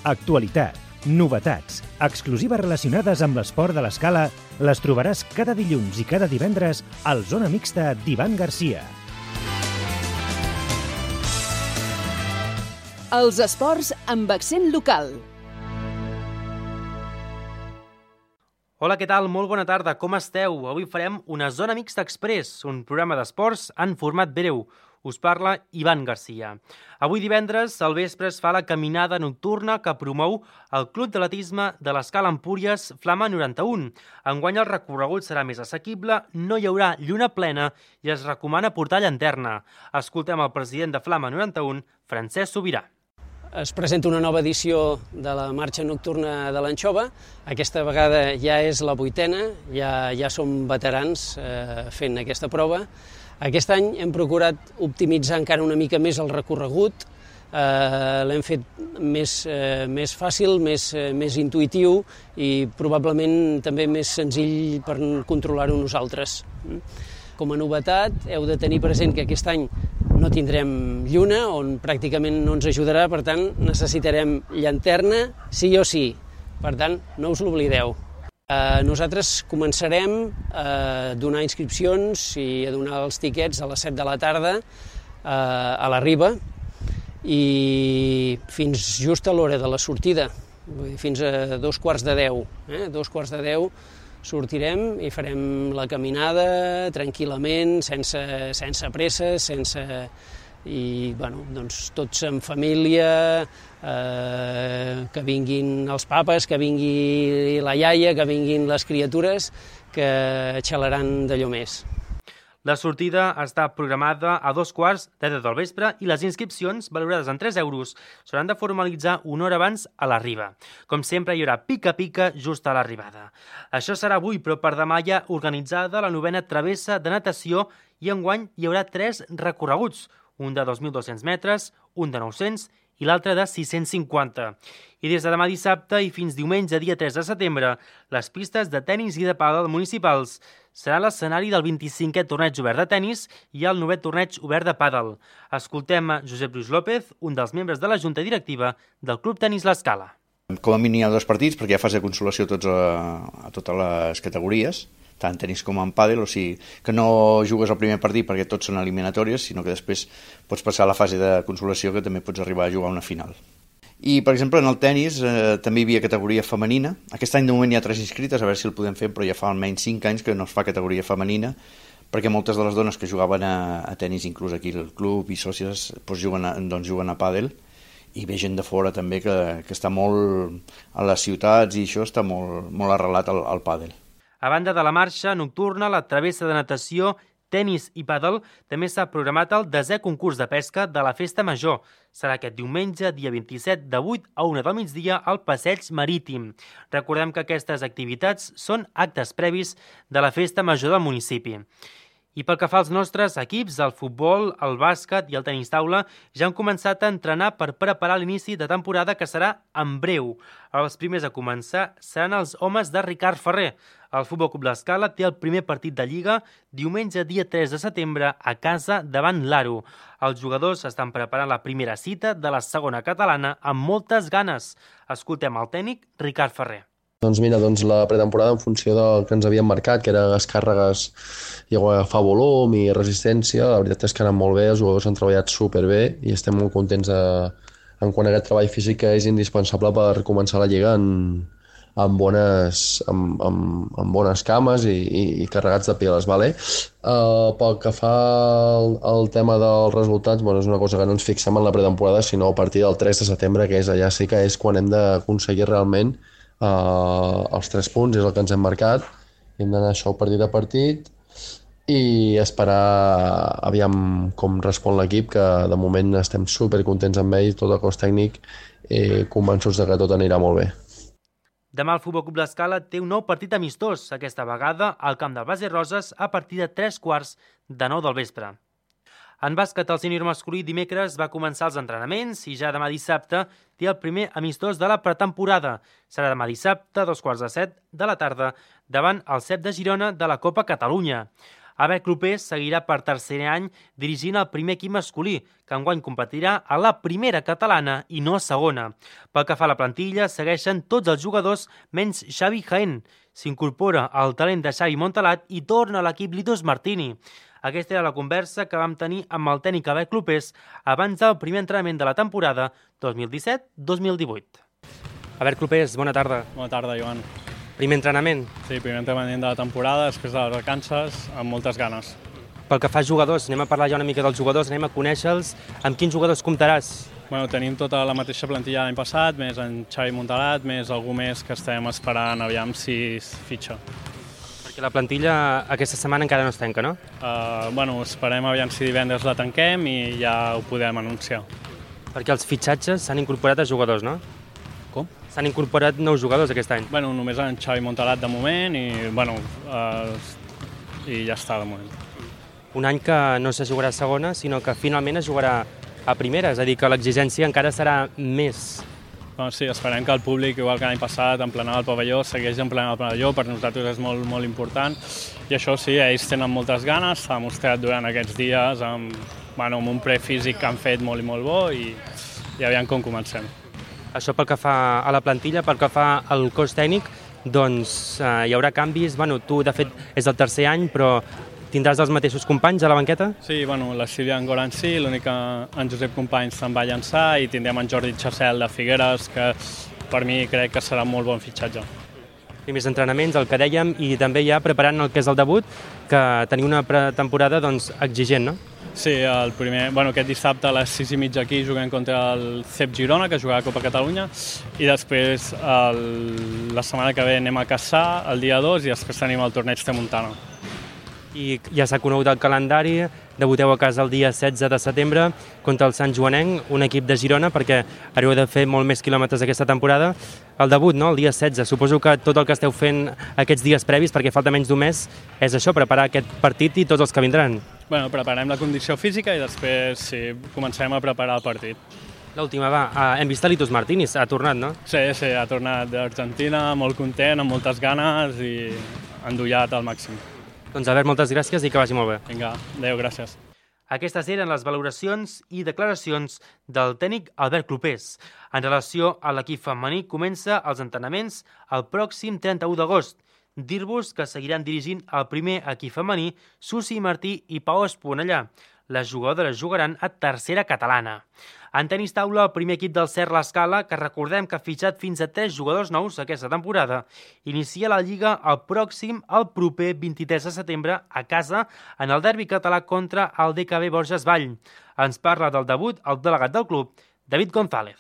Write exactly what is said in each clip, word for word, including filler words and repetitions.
Actualitat, novetats, exclusives relacionades amb l'esport de l'escala les trobaràs cada dilluns i cada divendres al Zona Mixta d'Ivan Garcia. Els esports amb accent local. Hola, què tal? Molt bona tarda, com esteu? Avui farem una Zona Mixta Express, un programa d'esports en format breu. Us parla Ivan Garcia. Avui divendres, al vespre, es fa la caminada nocturna que promou el Club d'Atletisme de l'Escala Empúries Flama noranta-un. Enguany el recorregut serà més assequible, no hi haurà lluna plena i es recomana portar llanterna. Escoltem el president de Flama noranta-un, Francesc Sobirà. Es presenta una nova edició de la marxa nocturna de l'Anxova. Aquesta vegada ja és la vuitena, ja, ja som veterans eh, fent aquesta prova. Aquest any hem procurat optimitzar encara una mica més el recorregut, eh, l'hem fet més, eh, més fàcil, més, eh, més intuïtiu i probablement també més senzill per controlar-ho nosaltres. Com a novetat, heu de tenir present que aquest any no tindrem lluna, on pràcticament no ens ajudarà, per tant, necessitarem llanterna sí o sí. Per tant, no us l'oblideu. Eh, nosaltres començarem a donar inscripcions i a donar els tiquets a les set de la tarda eh, a la Riba i fins just a l'hora de la sortida, vull dir, fins a dos quarts de deu. Eh? Dos quarts de deu sortirem i farem la caminada tranquil·lament, sense, sense presses, sense... i bueno, doncs tots en família, eh, que vinguin els papes, que vingui la iaia, que vinguin les criatures, que xalaran d'allò més. La sortida està programada a dos quarts de deu del vespre i les inscripcions, valorades en tres euros, s'hauran de formalitzar una hora abans a la Riba. Com sempre, hi haurà pica-pica just a l'arribada. Això serà avui, però per demà hi ha organitzada la novena travessa de natació i enguany hi haurà tres recorreguts, un de dos mil dos-cents metres, un de nou-cents i l'altre de sis-cents cinquanta. I des de demà dissabte i fins diumenge, dia tres de setembre, les pistes de tenis i de pàdel municipals serà l'escenari del vint-i-cinquè torneig obert de tenis i el novè torneig obert de pàdel. Escoltem a Josep Lluís López, un dels membres de la Junta Directiva del Club Tenis L'Escala. Com a mínim hi ha dos partits, perquè hi ha fase de consolació a, tots a, a totes les categories, tant tenis com en pàdel, o sigui que no jugues el primer partit perquè tots són eliminatòries, sinó que després pots passar a la fase de consolació, que també pots arribar a jugar una final. I, per exemple, en el tenis eh, també hi havia categoria femenina. Aquest any de moment hi ha tres inscrites, a veure si el podem fer, però ja fa almenys cinc anys que no es fa categoria femenina, perquè moltes de les dones que jugaven a, a tenis, inclús aquí al club i sòcies, doncs juguen, a, doncs juguen a pàdel, i ve gent de fora també que, que està molt a les ciutats i això està molt, molt arrelat al, al pàdel. A banda de la marxa nocturna, la travessa de natació, tenis i pàdel, també s'ha programat el desè concurs de pesca de la Festa Major. Serà aquest diumenge, dia vint-i-set, de vuit a una del migdia, al Passeig Marítim. Recordem que aquestes activitats són actes previs de la Festa Major del municipi. I pel que fa als nostres equips, el futbol, el bàsquet i el tenis taula ja han començat a entrenar per preparar l'inici de temporada, que serà en breu. Els primers a començar seran els homes de Ricard Ferrer. El Futbol Club L'Escala té el primer partit de Lliga diumenge dia tres de setembre a casa davant l'Aro. Els jugadors estan preparant la primera cita de la segona catalana amb moltes ganes. Escoltem el tècnic Ricard Ferrer. Doncs mira, doncs la pretemporada en funció del que ens havíem marcat, que eren les càrregues i agafar volum i resistència, la veritat és que han anat molt bé, els jugadors han treballat superbé i estem molt contents de, en quant a aquest treball físic que és indispensable per començar la Lliga en, amb, bones, amb, amb, amb bones cames i, i, i carregats de piles. Vale? Uh, pel que fa al, al tema dels resultats, bueno, és una cosa que no ens fixem en la pretemporada, sinó a partir del tres de setembre, que és allà sí que és quan hem d'aconseguir realment Uh, els tres punts, és el que ens hem marcat. Hem d'anar això partit a partit i esperar aviam com respon l'equip, que de moment estem supercontents amb ell, tot el cos tècnic, i convençuts de que tot anirà molt bé. Demà el Futbol Club L'Escala té un nou partit amistós, aquesta vegada al camp del Base Roses a partir de tres quarts de nou del vespre. En bàsquet, el sènior masculí dimecres va començar els entrenaments i ja demà dissabte té el primer amistós de la pretemporada. Serà demà dissabte, a dos quarts de set de la tarda, davant el C E P de Girona de la Copa Catalunya. Albert Clopés seguirà per tercer any dirigint el primer equip masculí, que enguany competirà a la primera catalana i no a segona. Pel que fa a la plantilla, segueixen tots els jugadors menys Xavi Jaén. S'incorpora el talent de Xavi Montalat i torna a l'equip Litos Martini. Aquesta era la conversa que vam tenir amb el tècnic Albert Clopés abans del primer entrenament de la temporada dos mil disset dos mil divuit. Albert Clopés, bona tarda. Bona tarda, Joan. Primer entrenament? Sí, primer entrenament de la temporada, després de les vacances, amb moltes ganes. Pel que fa a jugadors, anem a parlar ja una mica dels jugadors, anem a conèixer-los. Amb quins jugadors comptaràs? Bueno, tenim tota la mateixa plantilla l'any passat, més en Xavi Montalat, més algú més que estem esperant aviam si es fitxa. Perquè la plantilla aquesta setmana encara no es tanca, no? Uh, bueno, esperem aviam si divendres la tanquem i ja ho podem anunciar. Perquè els fitxatges s'han incorporat a jugadors, no? Com? S'han incorporat nous jugadors aquest any. Bueno, només en Xavi Montalat de moment i, bueno, uh, i ja està de moment. Un any que no se jugarà a segona, sinó que finalment es jugarà a primera, és a dir, que l'exigència encara serà més. Bueno, sí, esperem que el públic, igual que l'any passat, emplenava el pavelló, segueix emplenant el pavelló, per nosaltres és molt, molt important. I això sí, ells tenen moltes ganes, s'ha mostrat durant aquests dies amb, bueno, amb un prefísic que han fet molt i molt bo i, i aviam com comencem. Això pel que fa a la plantilla, pel que fa al cos tècnic, doncs eh, hi haurà canvis. Bueno, tu, de fet, és el tercer any, però tindràs els mateixos companys a la banqueta? Sí, bueno, la Sílvia Angoran sí, l'únic que en Josep Companys se'n va llançar i tindrem en Jordi Chassel de Figueres, que per mi crec que serà un molt bon fitxatge. Primers entrenaments, el que dèiem, i també ja preparant el que és el debut, que teniu una pretemporada doncs, exigent, no? Sí, el primer, bueno, aquest dissabte a les sis i mitja aquí juguem contra el C E P Girona, que jugarà a Copa Catalunya, i després el, la setmana que ve anem a Cassà el dia dos i després tenim el torneig de Montana. I ja s'ha conegut el calendari, debuteu a casa el dia setze de setembre contra el Sant Joanenc, un equip de Girona, perquè haureu de fer molt més quilòmetres aquesta temporada. El debut, no?, el dia setze. Suposo que tot el que esteu fent aquests dies previs, perquè falta menys d'un mes, és això, preparar aquest partit i tots els que vindran. Bueno, preparem la condició física i després sí, comencem a preparar el partit. L'última, va, hem vist a Litos Martínez, ha tornat, no? Sí, sí, ha tornat d'Argentina, molt content, amb moltes ganes i endollat al màxim. Doncs Albert, moltes gràcies i que vagi molt bé. Vinga, adéu, gràcies. Aquestes eren les valoracions i declaracions del tècnic Albert Clopés. En relació a l'equip femení, comença els entrenaments el pròxim trenta-u d'agost. Dir-vos que seguiran dirigint el primer equip femení Susi Martí i Pau Esponellà. Les jugadores jugaran a tercera catalana. En tenis taula, el primer equip del Cert l'Escala, que recordem que ha fitxat fins a tres jugadors nous aquesta temporada, inicia la Lliga el pròxim, el proper vint-i-tres de setembre, a casa, en el derbi català contra el D K B Borges Vall. Ens parla del debut el delegat del club, David González.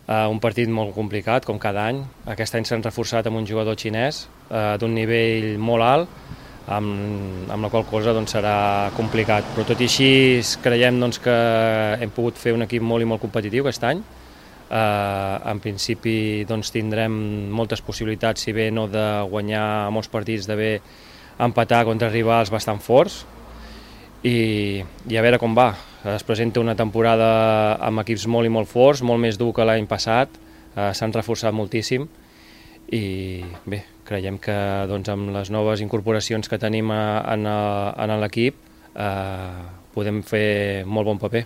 Uh, un partit molt complicat, com cada any. Aquest any s'han reforçat amb un jugador xinès uh, d'un nivell molt alt, amb, amb la qual cosa doncs, serà complicat. Però tot i així creiem doncs, que hem pogut fer un equip molt i molt competitiu aquest any. Uh, en principi doncs, tindrem moltes possibilitats, si bé no de guanyar molts partits, d'haver empatar contra rivals bastant forts. I, i a veure com va. Es presenta una temporada amb equips molt i molt forts, molt més dur que l'any passat, eh, s'han reforçat moltíssim i bé, creiem que doncs, amb les noves incorporacions que tenim a, en, a, en l'equip eh, podem fer molt bon paper.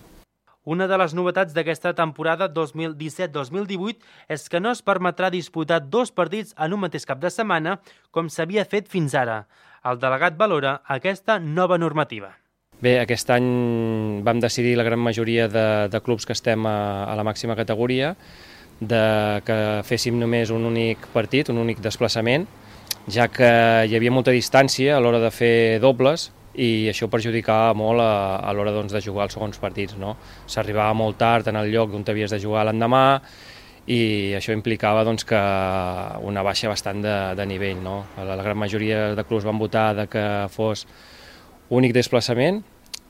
Una de les novetats d'aquesta temporada dos mil disset dos mil divuit és que no es permetrà disputar dos partits en un mateix cap de setmana com s'havia fet fins ara. El delegat valora aquesta nova normativa. Bé, aquest any vam decidir la gran majoria de, de clubs que estem a, a la màxima categoria de que féssim només un únic partit, un únic desplaçament, ja que hi havia molta distància a l'hora de fer dobles i això perjudicava molt a, a l'hora doncs, de jugar els segons partits. No? S'arribava molt tard en el lloc on t'havies de jugar l'endemà i això implicava doncs, que una baixa bastant de, de nivell. No? La, la gran majoria de clubs van votar de que fos únic desplaçament,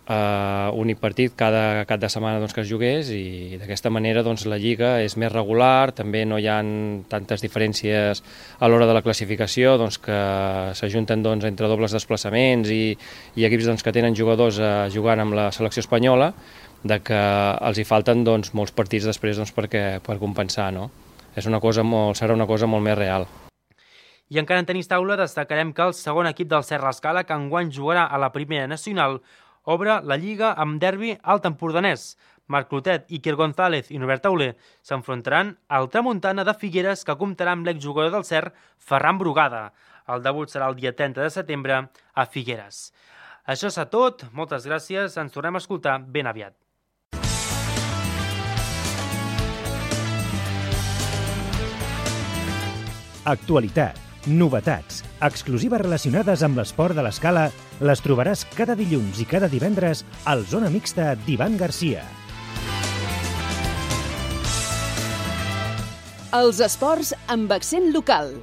uh, únic partit cada cap de setmana doncs, que es jugués i d'aquesta manera doncs, la Lliga és més regular, també no hi ha tantes diferències a l'hora de la classificació doncs, que s'ajunten doncs, entre dobles desplaçaments i, i equips doncs, que tenen jugadors uh, jugant amb la selecció espanyola, de que els hi falten doncs, molts partits després doncs, perquè, per compensar. No? És una cosa molt, serà una cosa molt més real. I encara en tenis taula destacarem que el segon equip del Serra Escala, que enguany jugarà a la primera nacional, obre la Lliga amb derbi alt empordanès. Marc Clotet, Iker González i Norbert Tauler s'enfrontaran al Tramuntana de Figueres, que comptarà amb l'exjugador del Cer, Ferran Brugada. El debut serà el dia trenta de setembre a Figueres. Això és tot, moltes gràcies, ens tornem a escoltar ben aviat. Actualitat, novetats, exclusives relacionades amb l'esport de l'escala les trobaràs cada dilluns i cada divendres al Zona Mixta d'Ivan Garcia. Els esports amb accent local.